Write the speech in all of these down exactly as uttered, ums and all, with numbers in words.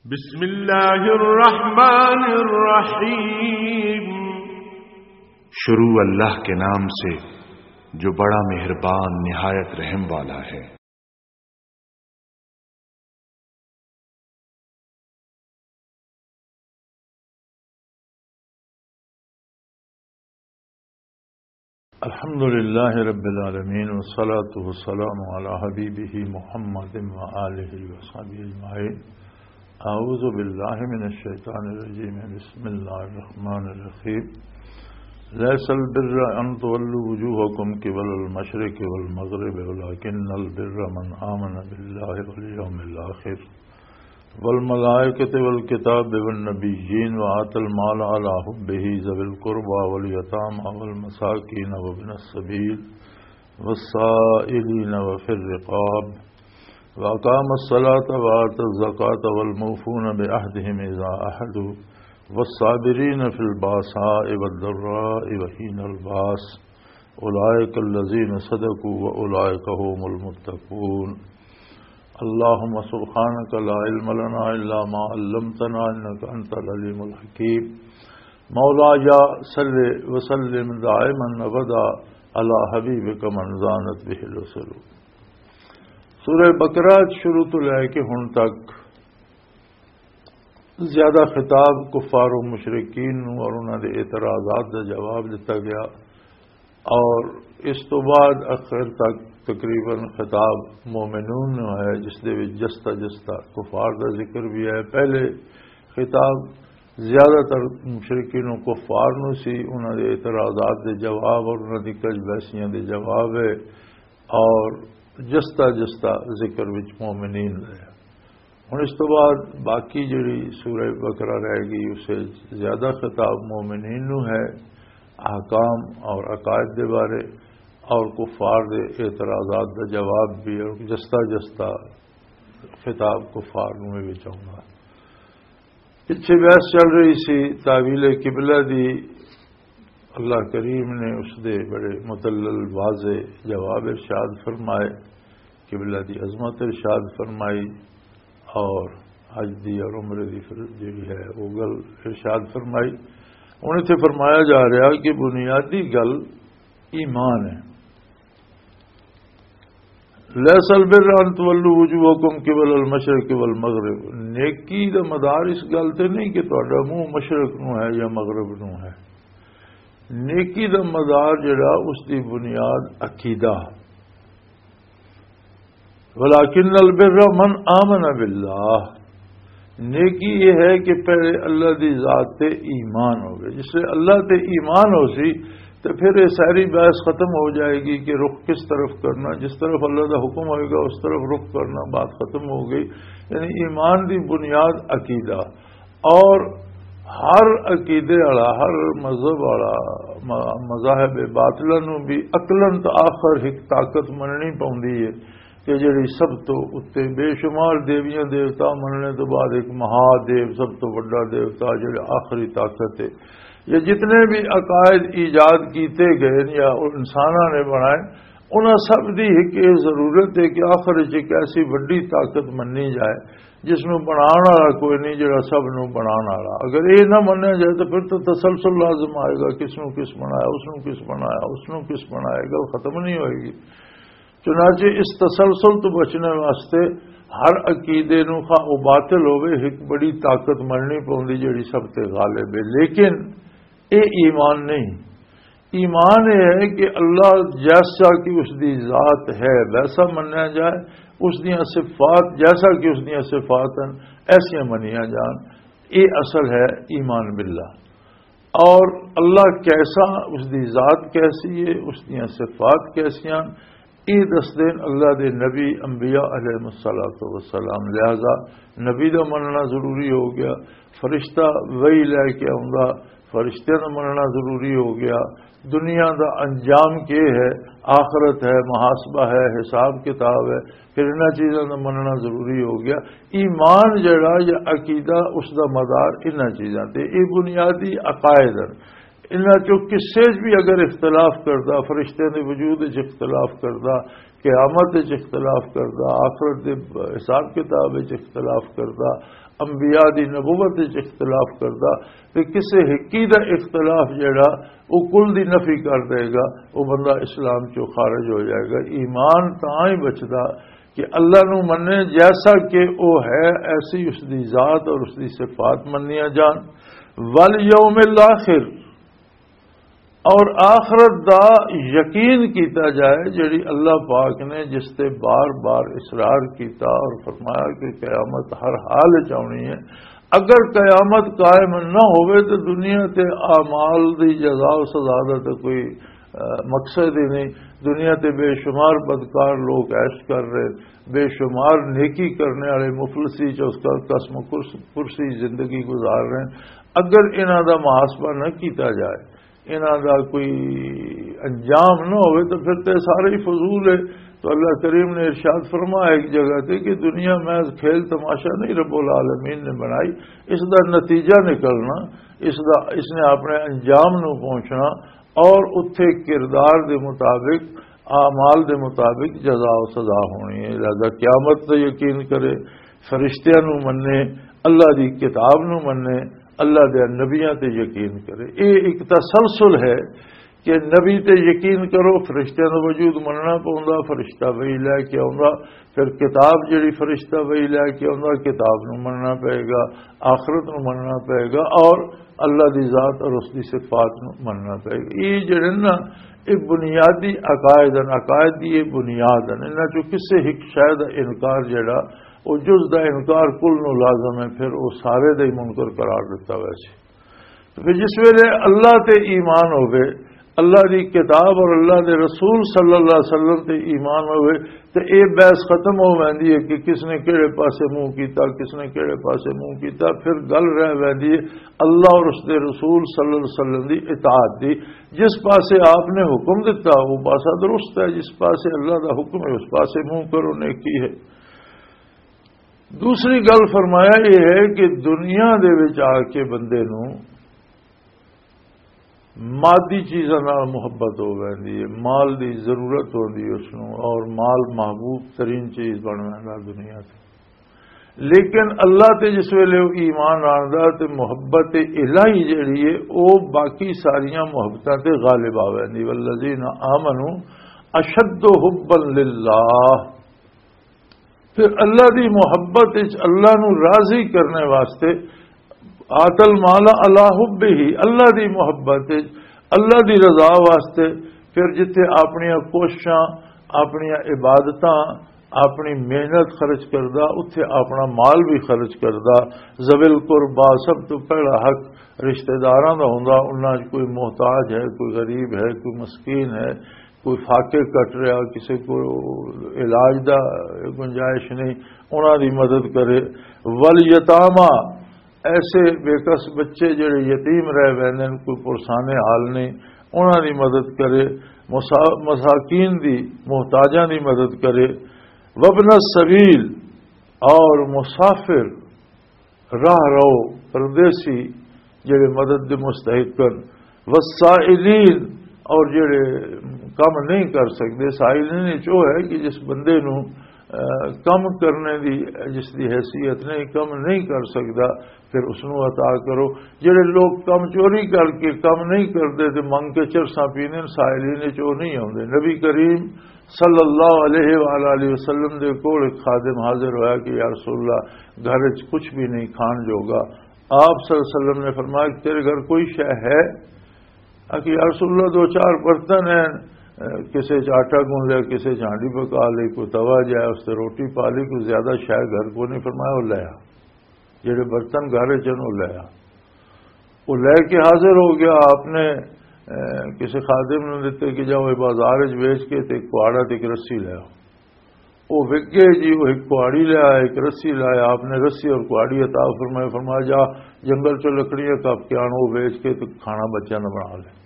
بسم اللہ الرحمن الرحیم۔ شروع اللہ کے نام سے جو بڑا مہربان نہایت رحم والا ہے۔ الحمد لله رب العالمين، والصلاة والسلام على حبيبه محمد وآله وصحبه أجمعين. أعوذ بالله من الشيطان الرجيم. بسم الله الرحمن الرحيم. ليس البر أن تولوا وجوهكم قبل المشرق والمغرب، ولكن البر من آمن بالله واليوم الآخر والملائكة والكتاب والنبيين وآتى المال على حبه ذوي القربى واليتامى والمساكين وابن السبيل والسائلين وفي الرقاب وأقام الصلاة وآتى الزكاة والموفون بعهدهم إذا عاهدوا والصابرين في البأساء والضراء وحين البأس أولئك الذين صدقوا وأولئك هم المتقون. اللهم سبحانك لا علم لنا إلا ما علمتنا إنك أنت العليم الحكيم. مولاي صل وسلم دائما أبدا على حبيبك من زانت به الرسل. سورہ بقرہ شروع تو لے کے ہن تک زیادہ خطاب کفار و مشرکین نوں اور انہاں دے اعتراضات دا جواب دتا گیا، اور اس تو بعد آخر تک تقریباً خطاب مومنون نوں ہے، جس دے وچ جستا جستا کفار دا ذکر بھی ہے۔ پہلے خطاب زیادہ تر مشرکین و کفار نوں سی، انہاں دے اعتراضات دے جواب اور انہاں دی کج بحثیاں دے جواب ہے، اور جستا جستا ذکر وچ مومنین رہے۔ ہن اس تو بعد باقی جڑی سورہ بقرہ رہ گئی، اسے زیادہ خطاب مومنین نو ہے، احکام اور عقائد دے بارے اور کفار دے اعتراضات دا جواب بھی، اور جستا جستا خطاب کفار نو بھی چاہوں گا۔ پچھے بحث چل رہی سی تعویل قبلہ دی۔ اللہ کریم نے اس دے بڑے مدلل واضح جواب ارشاد فرمائے، قبلہ دی عظمت ارشاد فرمائی، اور حج دی اور عمرے دی فر-، جڑی ہے، وہ گل ارشاد فرمائی۔ ہن اتھے فرمایا جا رہا کہ بنیادی گل ایمان ہے۔ لیس البر ان تولوا وجوہکم قبل المشرق والمغرب۔ نیکی دا مدار اس گل تے نہیں کہ تہاڈا منہ مشرق نو ہے یا مغرب نو ہے۔ نیکی دا مدار جڑا، اس دی بنیاد عقیدہ۔ ولکن البر من آمن باللہ۔ نیکی یہ ہے کہ پہلے اللہ دی ذات تے ایمان ہوگی۔ جس لے اللہ تے ایمان ہو سی، تے پھر یہ ساری بحث ختم ہو جائے گی کہ رخ کس طرف کرنا۔ جس طرف اللہ دا حکم ہوئے گا، اس طرف رخ کرنا، بات ختم ہو گئی۔ یعنی ایمان دی بنیاد عقیدہ۔ اور ہر عقیدے والا، ہر مذہب والا، م-، مذاہب باطلہ نو بھی عقلاً تا آخر ایک طاقت مننی پوندی ہے کہ جڑی سب تو اتے، بے شمار دیویاں دیوتا مننے تو بعد ایک مہادیو سب تو بڑا دیوتا، جڑے آخری طاقت ہے۔ یہ جتنے بھی عقائد ایجاد کیتے گئے یا انساناں نے بنائے، انہاں سب دی ایک یہ ضرورت ہے کہ آخر وچ ایک ایسی وڈی طاقت مننی جائے جس نوں بنان والا کوئی نہیں، جڑا سب نوں بنان والا۔ اگر یہ نہ منیا جائے تو پھر تو تسلسل لازم آئے گا، کس نوں کس بنایا، اس نوں کس بنایا، اس نوں کس بنایا، گل ختم نہیں ہوئے گی۔ چنانچہ اس تسلسل تو بچنے واسطے ہر عقیدے نوں، خواہ وہ باطل ہوئے، ایک بڑی طاقت مننی پوندی جڑی سب تے غالب ہے۔ لیکن یہ ایمان نہیں۔ ایمان یہ ہے کہ اللہ جیسا کہ اس دی ذات ہے ویسا منیا جائے، اس دیاں صفات جیسا کہ اس دیاں صفات ہیں ایسیاں منیا جان۔ یہ اصل ہے ایمان باللہ۔ اور اللہ کیسا، اس دی ذات کیسی ہے، اس دیاں صفات کیسیاں، یہ دس دین اللہ دے نبی انبیاء علیہ الصلوۃ والسلام۔ لہذا نبی دا مننا ضروری ہو گیا، فرشتہ وہی لے کے آؤندا، فرشتیاں دا مننا ضروری ہو گیا، دنیا دا انجام کی ہے، آخرت ہے، محاسبہ ہے، حساب کتاب ہے، پھر انہاں چیزاں دا مننا ضروری ہو گیا۔ ایمان جڑا یا عقیدہ، اس دا مدار انہاں چیزاں تے، یہ بنیادی عقائد ہیں۔ انہاں چوں کسے وچ بھی اگر اختلاف کردا، فرشتیاں دے وجود وچ اختلاف کردا، قیامت وچ اختلاف کردا، آخرت دے حساب کتاب وچ اختلاف کردا، انبیاء دی نبوت وچ اختلاف کردا، تے کسے ہکی دا اختلاف جڑا، او کل دی نفی کر دے گا، او بندہ اسلام چوں خارج ہو جائے گا۔ ایمان تاں ہی بچدا کہ اللہ نو منے جیسا کہ او ہے، ایسی اس دی ذات اور اس دی صفات منیاں جان۔ والیوم الاخر، اور آخرت دا یقین کیتا جائے، جڑی اللہ پاک نے جس تے بار بار اصرار کیتا اور فرمایا کہ قیامت ہر حال وچ آنی ہے۔ اگر قیامت قائم نہ ہوئے تو دنیا تے اعمال دی جزا و سزا دا تے کوئی، آ، مقصد ہی نہیں۔ دنیا تے بے شمار بدکار لوگ عیش کر رہے، بے شمار نیکی کرنے والے مفلسی چ اس کا قسم کرس-، کرسی زندگی گزار رہے ہیں۔ اگر انہاں دا محاسبہ نہ کیتا جائے، انہاں دا کوئی انجام نہ ہوئے تو پھر تے سارے ہی فضول ہے۔ تو اللہ کریم نے ارشاد فرمایا ایک جگہ تے کہ دنیا میں کھیل تماشا نہیں، رب العالمین نے بنائی، اس دا نتیجہ نکلنا، اس دا، اس نے اپنے انجام نو پہنچنا اور اتھے کردار دے مطابق، اعمال دے مطابق جزا و سزا ہونی ہے۔ لہذا قیامت تے یقین کرے، فرشتیاں نو منے، اللہ دی کتاب نو منے، اللہ دے نبیاں تے یقین کرے۔ اے ایک تسلسل ہے کہ نبی تے یقین کرو، فرشتیاں دا وجود مننا پوندا، فرشتہ وحی لے کے آوندا، پھر کتاب جڑی فرشتہ وحی لے کے آوندا، کتاب نو مننا پئے گا، آخرت نو مننا پئے گا، اور اللہ دی ذات اور اس دی صفات نو مننا پئے گا۔ یہ جڑے نا، یہ بنیادی عقائد ہیں، عقائد دی یہ بنیاد ہیں۔ انہاں چوں کسے ایک شے دا انکار جڑا، وہ جز دا انکار کل نو لازم ہے، پھر وہ سارے دا ہی منکر قرار دتا ہوا سی۔ تو پھر جس ویلے اللہ تے ایمان ہوے، اللہ دی کتاب اور اللہ دے رسول صلی اللہ علیہ وسلم تے ایمان ہوے، تے اے بحث ختم ہو ویندی ہے کہ کس نے کہڑے پاسے منہ کیتا، کس نے کہڑے پاسے منہ کیتا۔ پھر گل رہ ویندی ہے اللہ اور اس دے رسول صلی اللہ علیہ وسلم دی اطاعت دی۔ جس پاسے آپ نے حکم دتا، وہ پاسا درست ہے، جس پاسے اللہ دا حکم ہے، اس پاسے منہ کرو، نیکی ہے۔ دوسری گل فرمایا یہ ہے کہ دنیا دے وچ آ کے بندے نو مادی چیزاں نال محبت ہو ویندی ہے، مال دی ضرورت ہوندی ہے اس نو، اور مال محبوب ترین چیز بن ویندا دنیا تے۔ لیکن اللہ تے جس ویلے وہ ایمان آندا تے محبت الہی جڑی ہے، او باقی ساریاں محبتاں تے غالب آ ویندی۔ والذین آمنوا اشد حبا للہ۔ پھر اللہ دی محبت وچ، اللہ نو راضی کرنے واسطے، آتل مالا اللہ حب ہی، اللہ دی محبت وچ، اللہ دی رضا واسطے، پھر جتھے اپنیاں کوششاں، اپنیاں عبادتاں، اپنی محنت خرچ کردا، اتھے اپنا مال بھی خرچ کردا۔ ذوی القربا، سب تو پہلا حق رشتہ داراں دا ہوندا، انہاں 'چ کوئی محتاج ہے، کوئی غریب ہے، کوئی مسکین ہے، کوئی فاقے کٹ رہا، کسی کو علاج دا گنجائش نہیں، انہاں دی مدد کرے۔ والیتاما، ایسے بے کس بچے جڑے یتیم رہ ویندے نے، کوئی پرسانے حال نہیں، انہاں دی مدد کرے۔ مسا-، مساکین دی، محتاجاں دی مدد کرے۔ وابن السبیل، اور مسافر، راہ رو، پردیسی، جڑے مدد دے مستحق ہن، والسائلین، اور جڑے کم نہیں کر سکدے۔ سائلین وچ او ہے کہ جس بندے نو، آ، کم کرنے دی، جس دی حیثیت نہیں، کم نہیں کر سکدا، پھر اس نو عطا کرو۔ جڑے لوگ کم چوری کر کے کم نہیں کردے تے منگ کے چرساں پیندے، سائلین وچ او نہیں آوندے۔ نبی کریم صلی اللہ علیہ وآلہ وسلم دے کول ایک خادم حاضر ہویا کہ یا رسول اللہ، گھر وچ کچھ بھی نہیں کھان جوگا۔ آپ صلی اللہ علیہ وسلم نے فرمایا کہ تیرے گھر کوئی شے ہے؟ آ کہ یا رسول اللہ، دو چار برتن ہیں، اے، کسے چ آٹا گون لیا، کسے چ ہانڈی پکا لی، کوئی توا جایا، اس تے روٹی پا لی، کوئی زیادہ شے گھر کو نہیں۔ فرمایا، وہ لے آ۔ جڑے برتن گھر وچ ہن، او لے آ۔ او لے کے حاضر ہو گیا۔ آپ نے، اے، کسے خادم نوں دتے کہ جاؤ، اے بازار وچ ویچ کے تے ایک کہاڑا تے ایک رسی لے آؤ۔ او وک گئے جی، او ایک کہاڑی لے آیا، ایک رسی لے آیا۔ آپ نے رسی اور کہاڑی عطا فرمایا، فرمایا، جا جنگل چوں لکڑیاں کپ کے آن، او ویچ کے تے کھانا بچیاں دا بنا لے۔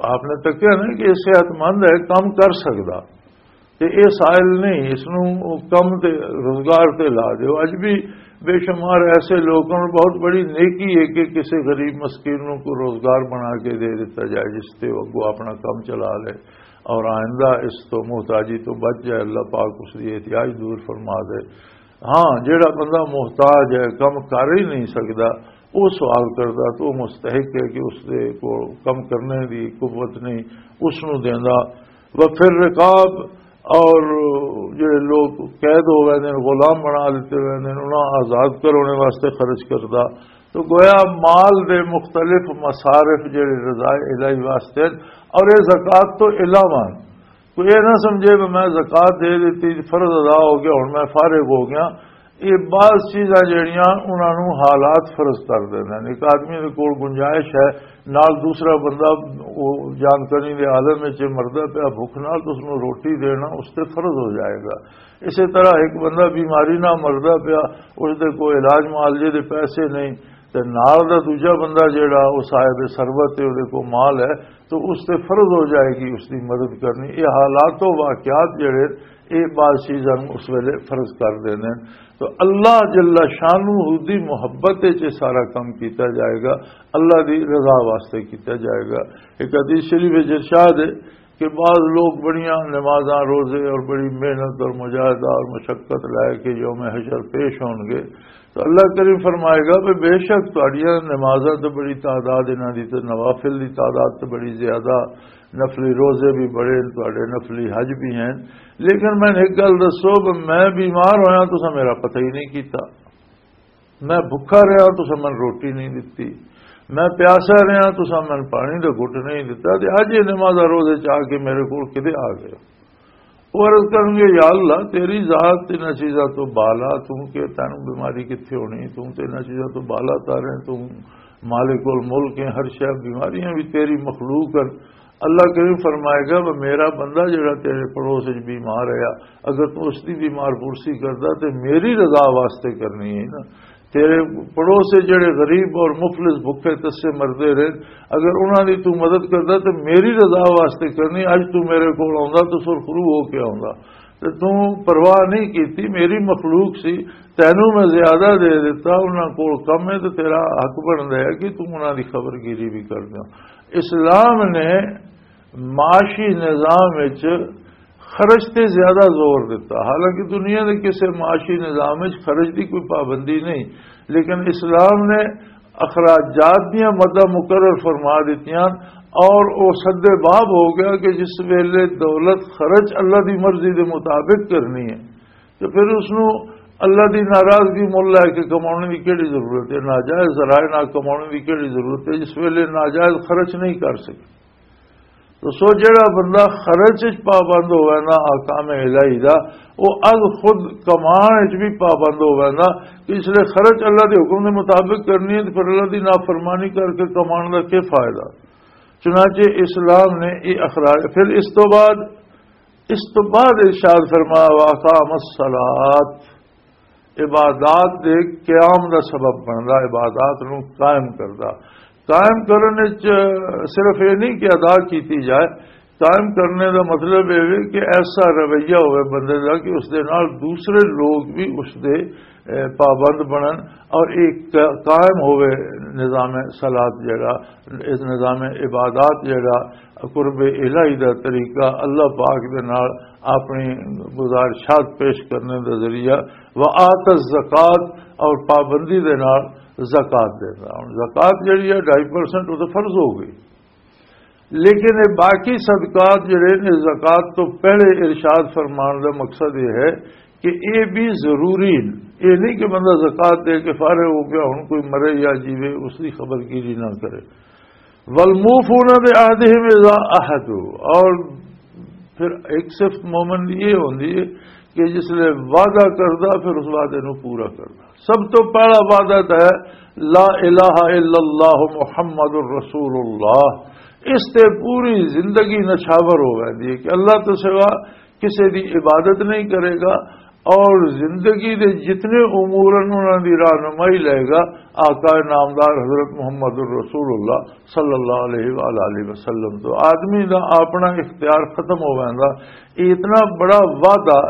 آپ نے تکیا نا کہ یہ صحت مند ہے، کم کر سکدا۔ تے اے سائل نہیں، اس نوں کم تے، روزگار تے لا دیو۔ اج بھی بے شمار ایسے لوگ ہن، بہت بڑی نیکی ہے کہ کسے غریب مسکین نوں کوئی روزگار بنا کے دے دتا جائے، جس تے وہ اگوں اپنا کم چلا لے اور آئندہ اس تو محتاجی تو بچ جائے، اللہ پاک اس دی احتیاج دور فرما دے۔ ہاں، جیڑا بندہ محتاج ہے، کم کر ہی نہیں سکدا، وہ سوال کردا تو وہ مستحق ہے کہ اس دے کول کم کرنے دی قوت نہیں، اس نوں دیندا۔ وفر رقاب، اور جڑے لوگ قید ہو گئے نے، غلام بنا لیتے ہوئے نے، انہاں آزاد کرانے واسطے خرچ کردا۔ تو گویا مال دے مختلف مصارف جڑے رضا الہی واسطے ہیں، اور یہ زکوٰۃ تو علاوہ ہیں۔ کوئی یہ نہ سمجھے کہ میں زکوٰۃ دے دیتی، فرض ادا ہو گیا، ہن میں فارغ ہو گیا۔ یہ بعض چیزاں جڑیاں انہاں نوں حالات فرض کر دیندے نے۔ ایک آدمی دے کول گنجائش ہے، نال دوسرا بندہ وہ جانکنی دے عالم وچ مردا پیا بھکھ نال، تے اس نوں روٹی دینا اس تے فرض ہو جائے گا۔ اسی طرح ایک بندہ بیماری نال مردا پیا، اس دے کوئی علاج معالجے دے پیسے نہیں، تے نال دا دوجا بندہ جیڑا وہ صاحب ثروت ہے، وہ دے کو مال ہے، تو اس تے فرض ہو جائے گی اس دی مدد کرنی۔ یہ حالات و واقعات جڑے، یہ بعض چیزاں نوں اس ویلے فرض کر دیندے ہیں۔ تو اللہ جل شانہ دی محبت وچ یہ سارا کام کیتا جائے گا، اللہ دی رضا واسطے کیتا جائے گا۔ ایک حدیث شریف وچ ارشاد ہے کہ بعض لوگ بڑیاں نمازاں، روزے اور بڑی محنت اور مجاہدہ اور مشقت لے کے یوم حشر پیش ہون گے، تو اللہ کریم فرمائے گا کہ بے شک تہاڈیاں نمازاں تے بڑی تعداد، انہاں دی تے نوافل دی تعداد تے بڑی زیادہ، نفلی روزے بھی بڑے، تہاڈے نفلی حج بھی ہیں، لیکن میں ایک گل دسو کہ میں بیمار ہویا، تساں میرا پتہ ہی نہیں کیتا۔ میں بھکھا رہا، تساں مینوں روٹی نہیں دتی۔ میں پیاسا رہا، تساں مینوں پانی دا گھٹ نہیں دتا۔ تے اج یہ نماز روزے چ آ کے میرے کول کدے آ گئے؟ وہ عرض کرن گے، یا اللہ، تیری ذات تے انہاں چیزاں تو بالا، تو کہ تینوں بیماری کتھے ہونی؟ تو تے انہاں چیزاں تو بالا تر ہے، تو مالک الملک ہے، ہر شے، بیماریاں بھی تیری مخلوق ہیں۔ اللہ کریم فرمائے گا، وہ میرا بندہ جڑا تیرے پڑوس وچ بیمار ہے، اگر تو اس دی بیمار پرسی کردا تے میری رضا واسطے کرنی ہے نا، تیرے پڑوس سے جڑے غریب اور مفلس بھکھے تسے مردے رہے، اگر انہاں دی تو مدد کردا تے میری رضا واسطے کرنی، اج تو میرے کول آوندا تو سرخرو ہو کے آوندا، تے تو پرواہ نہیں کیتی، میری مخلوق سی، تینوں میں زیادہ دے دیتا، انہاں کول کم ہے تے تیرا حق بندا ہے کہ تو انہاں دی خبر گیری بھی کر دیاں۔ اسلام نے معاشی نظام وچ خرچ تے زیادہ زور دیتا۔ حالانکہ دنیا دے کسے معاشی نظام وچ خرچ دی کوئی پابندی نہیں، لیکن اسلام نے اخراجات دیاں مدہ مقرر فرما دتیاں، اور وہ سد باب ہو گیا کہ جس ویلے دولت خرچ اللہ دی مرضی دے مطابق کرنی ہے، تو پھر اس نوں اللہ دی ناراضگی مول لے کے کمانے دی کیڑی ضرورت ہے؟ ناجائز ذرائع نال کمانے دی کیڑی ضرورت ہے، جس ویلے ناجائز خرچ نہیں کر سکے؟ تو سو جڑا بندہ خرچ وچ پابند ہووے نا احکام الہی دا، وہ از خود کمان وچ بھی پابند ہووے نا، کہ اس لیے خرچ اللہ دے حکم دے مطابق کرنی ہے، تو پھر اللہ دی نافرمانی کر کے کمان دا کی فائدہ؟ چنانچہ اسلام نے یہ اخراج، پھر اس تو بعد، اس تو بعد ارشاد فرمایا، واقام الصلاۃ، عبادات دے قیام دا سبب بندا، عبادات نو قائم کردا۔ قائم کرنے چ صرف یہ نہیں کہ ادا کیتی جائے، قائم کرنے دا مطلب یہ ہے کہ ایسا رویہ ہوئے بندے دا کہ اس دے نال دوسرے لوگ بھی اس دے، اے، پابند بنن اور ایک قائم ہوئے نظام صلات جڑا، اس نظام عبادات جڑا، قرب الہی دا طریقہ، اللہ پاک دے نال اپنی گزارشات پیش کرنے دا ذریعہ، وآت الزکات، اور پابندی دے نال زکات دینا۔ ہن زکات جڑی ہے ڈھائی پرسنٹ، وہ تو فرض ہو گئی، لیکن یہ باقی صدقات جڑے نے، زکات تو پہلے ارشاد فرمان دا مقصد یہ ہے کہ یہ بھی ضروری ہے۔ یہ نہیں کہ بندہ زکات دے کے فارغ ہو گیا، ہن کوئی مرے یا جیوے، اس کی خبر گیری نہ کرے۔ والموفون بعہدہم اذا عاہدوا، اور پھر ایک صفت مومن دی یہ ہوندی ہے کہ جس لے وعدہ کردا، پھر اس وعدے نو پورا کردا۔ سب تو پہلا وعدہ تو ہے لا الہ الا اللہ محمد رسول اللہ۔ اس تے پوری زندگی نچھاور ہو ویندی ہے کہ اللہ تو سوا کسے دی عبادت نہیں کرے گا، اور زندگی دے جتنے امور ہیں، انہاں دی رہنمائی لے گا آقا نامدار حضرت محمد الرسول اللہ صلی اللہ علیہ وآلہ وسلم تو۔ آدمی دا اپنا اختیار ختم ہو ویندا۔ یہ اتنا بڑا وعدہ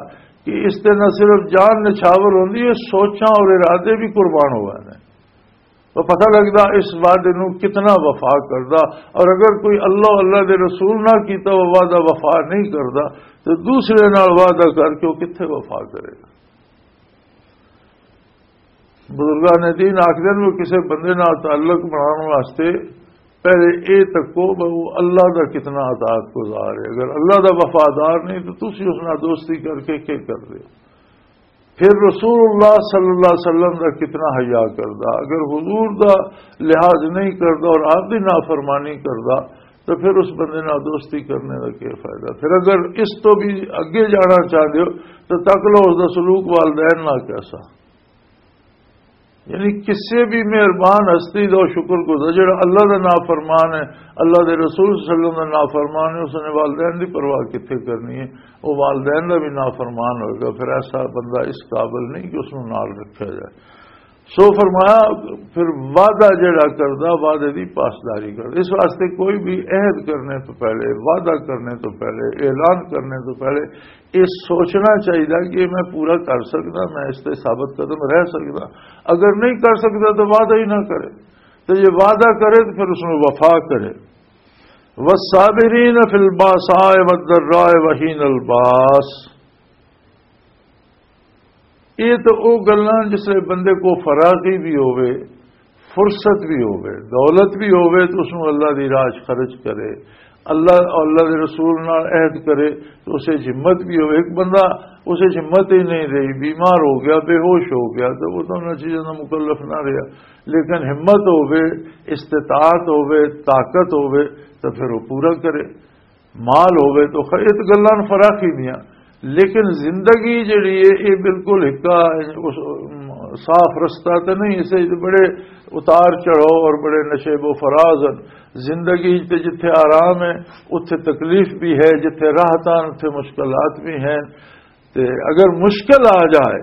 کہ اس تے نہ صرف جان نچھاور ہوندی ہے، سوچاں اور ارادے بھی قربان ہو ویندے۔ تو پتہ لگدا اس وعدے نو کتنا وفا کردا۔ اور اگر کوئی اللہ، اللہ دے رسول نہ کیتا وہ وعدہ وفا نہیں کردا، تو دوسرے نال وعدہ کر کے وہ کتھے وفا کرے گا؟ بزرگان دین آکھدے نے، وہ کسے بندے نال تعلق بناؤن واسطے پہلے اے تکو کہ وہ اللہ دا کتنا اطاعت گزار ہے۔ اگر اللہ دا وفادار نہیں تو تسی اس نال دوستی کر کے کیا کر رہے ہو؟ پھر رسول اللہ صلی اللہ علیہ وسلم دا کتنا حیا کردا۔ اگر حضور دا لحاظ نہیں کردا اور آپ دی نافرمانی کردا، تو پھر اس بندے نال دوستی کرنے دا کیا فائدہ؟ پھر اگر اس تو بھی اگے جانا چاہتے ہو تو تک لو اس دا سلوک والدین نال کیسا۔ یعنی کسی بھی مہربان ہستی دا شکر گزار، جڑا اللہ دا نافرمان ہے، اللہ دے رسول صلی اللہ علیہ وسلم دا نافرمان ہے، اس نے والدین دی پرواہ کتھے کرنی ہے؟ وہ والدین دا بھی نافرمان ہوئے گا، پھر ایسا بندہ اس قابل نہیں کہ اس نوں نال رکھا جائے۔ سو فرمایا، پھر وعدہ جڑا کردا، وعدے دی پاسداری کردا۔ اس واسطے کوئی بھی عہد کرنے تو پہلے، وعدہ کرنے تو پہلے، اعلان کرنے تو پہلے یہ سوچنا چاہیے کہ میں پورا کر سکدا، میں اس تے ثابت قدم رہ سکدا۔ اگر نہیں کر سکدا تو وعدہ ہی نہ کرے، تو یہ وعدہ کرے تو پھر اس میں وفا کرے۔ والصابرین فی الباساء والضراء وحین الباس۔ یہ تو وہ گلاں جس لئے بندے کو فراغی بھی ہوئے، فرصت بھی ہوئے، دولت بھی ہوئے تو اس نوں اللہ دی راہ 'چ خرچ کرے، اللہ، اللہ دے رسول نال عہد کرے تو اسے 'چ ہمت بھی ہوئے۔ ایک بندہ اسے 'چ ہمت ہی نہیں رہی، بیمار ہو گیا، بے ہوش ہو گیا، تو وہ تو انہاں چیزاں دا مکلف نہ رہیا۔ لیکن ہمت ہوئے، استطاعت ہوئے، طاقت ہوئے، تو پھر وہ پورا کرے۔ مال ہوئے تو خیر، یہ تو گلاں فراخی دیاں، لیکن زندگی جڑی ہے، یہ بالکل ہکا، اس، صاف رستہ تے نہیں، اسے بڑے اتار چڑھاؤ اور بڑے نشیب و فراز ہیں۔ زندگی تے جتھے آرام ہے، اتھے تکلیف بھی ہے، جتھے راحتاں، اتھے مشکلات بھی ہیں۔ تے اگر مشکل آ جائے،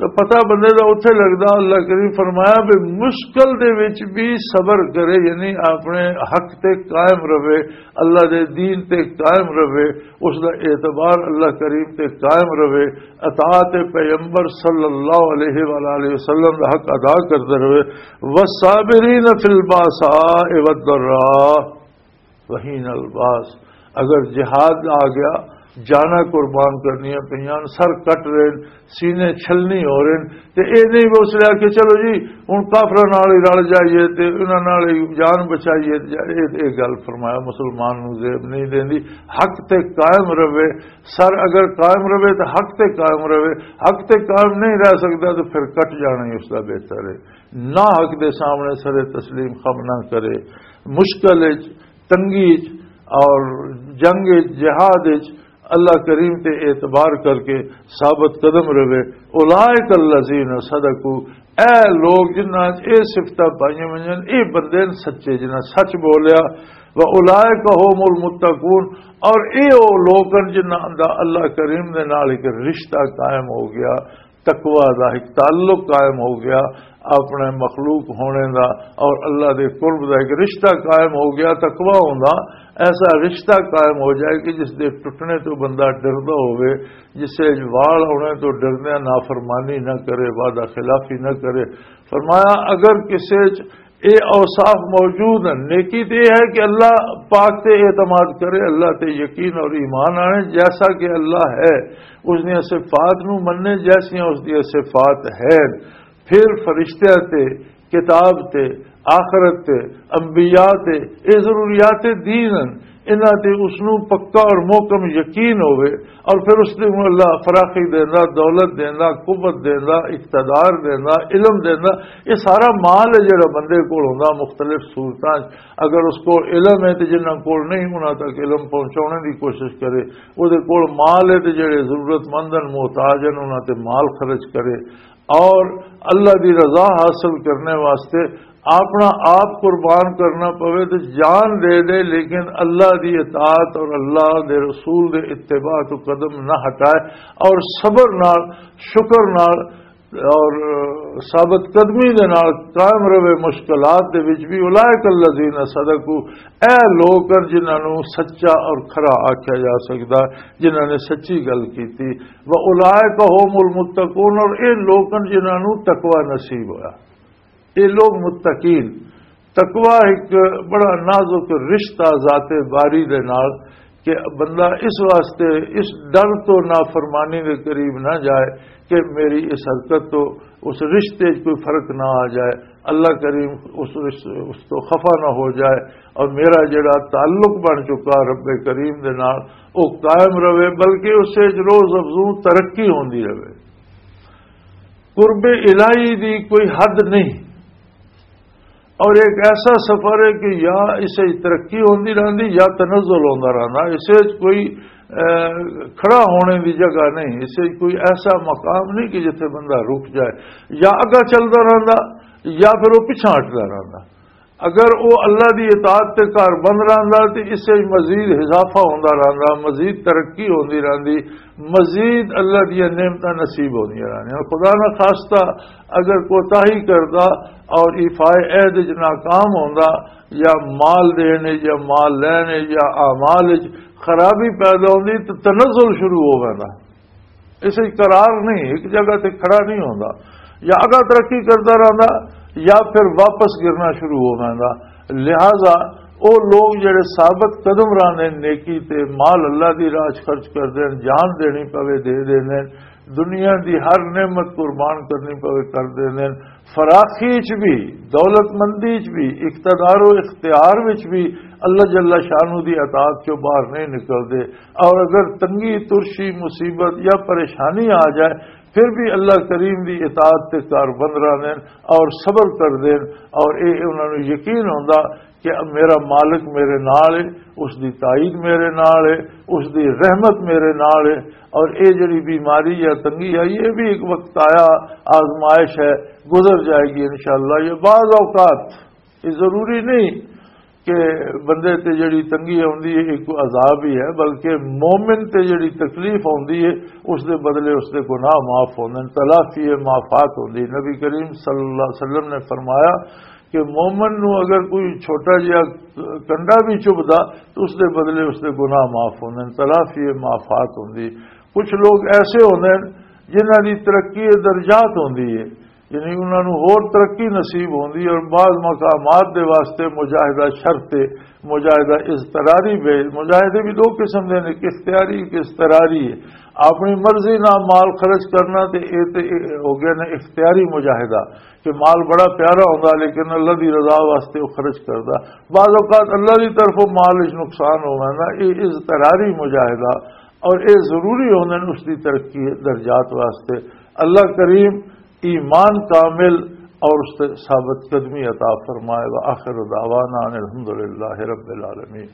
تو پتہ بندے دا اتھے لگدا۔ اللہ کریم فرمایا بھی مشکل دے وچ بھی صبر کرے، یعنی اپنے حق تے قائم رہے، اللہ دے دین تے قائم رہے، اس دا اعتبار اللہ کریم تے قائم رہے، اطاعت پیغمبر صلی اللہ علیہ وآلہ وسلم دا حق ادا کردا رہے۔ والصابرین فی الباساء والضراء وحین الباس۔ اگر جہاد آ گیا، جانا قربان کرنیاں پئیاں، سر کٹ رہے، سینے چھلنی ہو رہے، تے اے نہیں بس لیا کہ چلو جی ہن کافراں نال ہی رل جائیے تے انہاں نال ہی جان بچائیے، تے اے، اے گل فرمایا مسلمان نوں زیب نہیں دیندی۔ حق تے قائم رہے، سر اگر قائم رہے تو حق تے قائم رہے، حق تے قائم نہیں رہ سکدا تو پھر کٹ جانا ہی اس دا بہتر ہے۔ نہ حق دے سامنے سر تسلیم خم نہ کرے، مشکل وچ، تنگی وچ اور جنگ وچ، جہاد وچ اللہ کریم تے اعتبار کر کے ثابت قدم رہے۔ اولئک الذین صدقوا، اے لوگ جنہاں چ اے صفتاں پائیاں ہوئیاں، اے بندے نے سچے جنہاں سچ بولیا۔ و اولئک هم المتقون، اور اے او لوگ ہیں جنہاں دا اللہ کریم دے نال ایک رشتہ قائم ہو گیا، تقوی دا ایک تعلق قائم ہو گیا، اپنے مخلوق ہونے دا اور اللہ دے قرب دا ایک رشتہ قائم ہو گیا۔ تقوی ہوندا ایسا رشتہ قائم ہو جائے کہ جس دے ٹوٹنے تو بندہ ڈردا ہوئے، جس سے وال ہونے تو ڈردے نافرمانی نہ کرے، وعدہ خلافی نہ کرے۔ فرمایا اگر کسے چ اے اوصاف موجود ہیں، نیکی تے اے ہے کہ اللہ پاک تے اعتماد کرے، اللہ تے یقین اور ایمان آنے، جیسا کہ اللہ ہے، اس دیاں صفات نو مننے، جیسیاں اس دیاں صفات ہیں، پھر فرشتیاں تے، کتاب تے، آخرت تے، انبیاء تے، اے ضروریات دین ہیں، انہاں تے اس نو پکا اور محکم یقین ہوئے، اور پھر اس دے نوں اللہ فراخی دیندا، دولت دیندا، قوت دیندا، اقتدار دیندا، علم دیندا۔ یہ سارا مال ہے جڑا بندے کول ہوندا مختلف صورتاں چ۔ اگر اس کول علم ہے تے جنہاں کول نہیں، انہاں تک علم پہنچانے دی کوشش کرے۔ او دے کول مال ہے تے جڑے ضرورت مند ہیں، محتاج ہیں، انہاں تے مال خرچ کرے۔ اور اللہ دی رضا حاصل کرنے واسطے اپنا آپ قربان کرنا پوے تے جان دے دے، لیکن اللہ دی اطاعت اور اللہ دے رسول دے اتباع تو قدم نہ ہٹائے، اور صبر نال، شکر نال، اور ثابت قدمی دے نال قائم رہے مشکلات دے وچ بھی۔ اولئک الذین صدقوا، اے لوگ ہیں جنہاں نوں سچا اور کھرا آکھیا جا سکدا، جنہاں نے سچی گل کیتی۔ و اولئک هم المتقون، اور اے لوگ ہیں جنہاں نوں تقوی نصیب ہویا۔ اے لوگ متقین۔ تقوی ایک بڑا نازک رشتہ ذات باری دے نال، کہ بندہ اس واسطے، اس ڈر تو نافرمانی دے قریب نہ جائے کہ میری اس حرکت تو، اس رشتے 'چ کوئی فرق نہ آ جائے، اللہ کریم اس رشتے، اس تو خفا نہ ہو جائے، اور میرا جڑا تعلق بن چکا رب کریم دے نال، وہ قائم رہے، بلکہ اس 'چ روز افزوں ترقی ہوندی رہے۔ قرب الہی دی کوئی حد نہیں، اور ایک ایسا سفر ہے کہ یا اسے ترقی ہوندی رہندی یا تنزل ہوندا رہندا۔ اسے کوئی، اے، کھڑا ہونے دی جگہ نہیں، اسے کوئی ایسا مقام نہیں کہ جتھے بندہ رک جائے، یا اگا چلدا رہندا یا پھر وہ پچھا ہٹدا رہندا۔ اگر وہ اللہ دی اطاعت تے کار بند رہندا تے اسے مزید اضافہ ہوندا رہندا، مزید ترقی ہوندی رہندی، مزید اللہ دیا نعمتاں نصیب ہوندیاں رہندیاں۔ خدا نہ خواستہ اگر کوتاہی کردا اور ایفائے عہد وچ ناکام ہوندا، یا مال دین وچ یا مال لین وچ یا اعمال وچ خرابی پیدا ہوندی، تو تنزل شروع ہو ویندا۔ اسے قرار نہیں، ایک جگہ تے کھڑا نہیں ہوندا، یا اگا ترقی کردا رہندا یا پھر واپس گرنا شروع ہو ویندا۔ لہذا او لوگ جڑے ثابت قدم رہندے نے، نیکی تے مال اللہ دی راہ 'چ خرچ کردے نے، جان دینی پوے دے دیندے نے، دنیا دی ہر نعمت قربان کرنی پوے کر دیندے نے، فراخی 'چ بھی، دولت مندی 'چ بھی، اقتدار و اختیار وچ بھی اللہ جل شانہ دی اطاعت چوں باہر نہیں نکلدے۔ اور اگر تنگی، ترشی، مصیبت یا پریشانی آ جائے، پھر بھی اللہ کریم دی اطاعت تے کار بند رہندے نے اور صبر کردے نے، اور اے انہاں نوں یقین ہوندا کہ میرا مالک میرے نال ہے، اس دی تائید میرے نال ہے، اس دی رحمت میرے نال ہے۔ اور اے جڑی بیماری یا تنگی آئی، یہ بھی ایک وقت آیا، آزمائش ہے، گزر جائے گی انشاءاللہ۔ یہ بعض اوقات، یہ ضروری نہیں کہ بندے تے جڑی تنگی آندی ہے، ایک عذاب ہی ہے، بلکہ مومن تے جڑی تکلیف آندی ہے، اس دے بدلے اس دے گناہ معاف ہوندے نے، تلافی معافات ہوندی۔ نبی کریم صلی اللہ علیہ وسلم نے فرمایا کہ مومن نو اگر کوئی چھوٹا جہا کنڈا بھی چبھدا، تو اس دے بدلے اس دے گناہ معاف ہوندے نے، تلافی معافات ہوندی۔ کچھ لوگ ایسے ہوندے نے جنہاں دی ترقی درجات ہوندی ہے، یعنی انہاں نوں ہور ترقی نصیب ہوندی ہے، اور بعض مقامات دے واسطے مجاہدہ شرط ہے، مجاہدہ اضطراری بھی۔ مجاہدے بھی دو قسم دے نے، ایک اختیاری، ایک اضطراری ہے۔ اپنی مرضی نال مال خرچ کرنا تے اے تے ہو گیا نے اختیاری مجاہدہ، کہ مال بڑا پیارا ہوندا لیکن اللہ دی رضا واسطے وہ خرچ کردا۔ بعض اوقات اللہ دی طرفوں مال وچ نقصان ہونا، یہ اضطراری مجاہدہ، اور یہ ضروری ہوندے نے اس دی ترقی درجات واسطے۔ اللہ کریم ایمان کامل اور اس تے ثابت قدمی عطا فرمائے۔ وآخر دعوانا ان الحمدللہ رب العالمین۔